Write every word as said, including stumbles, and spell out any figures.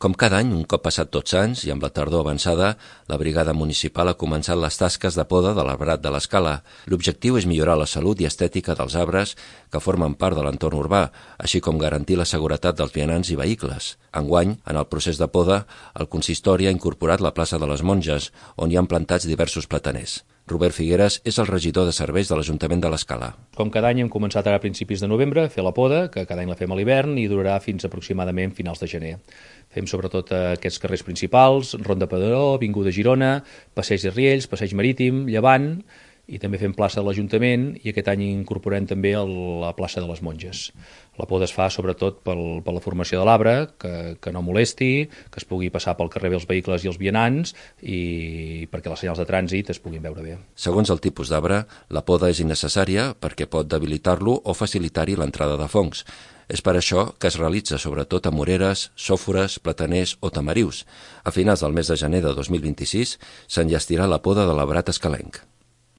Com cada any, un cop passat Tots Sants i amb la tardor avançada, la brigada municipal ha començat les tasques de poda de l'arbrat de l'Escala. L'objectiu és millorar la salut i estètica dels arbres que formen part de l'entorn urbà, així com garantir la seguretat dels vianants i vehicles. Enguany, en el procés de poda, el consistori ha incorporat la plaça de les Monges, on hi han plantats diversos plataners. Robert Figueres és el regidor de serveis de l'Ajuntament de l'Escala. Com cada any hem començat ara a principis de novembre a fer la poda, que cada any la fem a l'hivern i durarà fins aproximadament finals de gener. Fem sobretot aquests carrers principals, Ronda Padró, Avinguda Girona, Passeig de Riells, Passeig Marítim, Llevant, i també fem plaça de l'Ajuntament i aquest any incorporem també el, la plaça de les Monges. La poda es fa sobretot pel, per la formació de l'arbre, que, que no molesti, que es pugui passar pel carrer bé els vehicles i els vianants i perquè les senyals de trànsit es puguin veure bé. Segons el tipus d'arbre, la poda és innecessària perquè pot debilitar-lo o facilitar-hi l'entrada de fongs. És per això que es realitza sobretot a moreres, sòfores, plataners o tamarius. A finals del mes de gener de dos mil vint-i-sis s'enllestirà la poda de l'arbrat escalenc.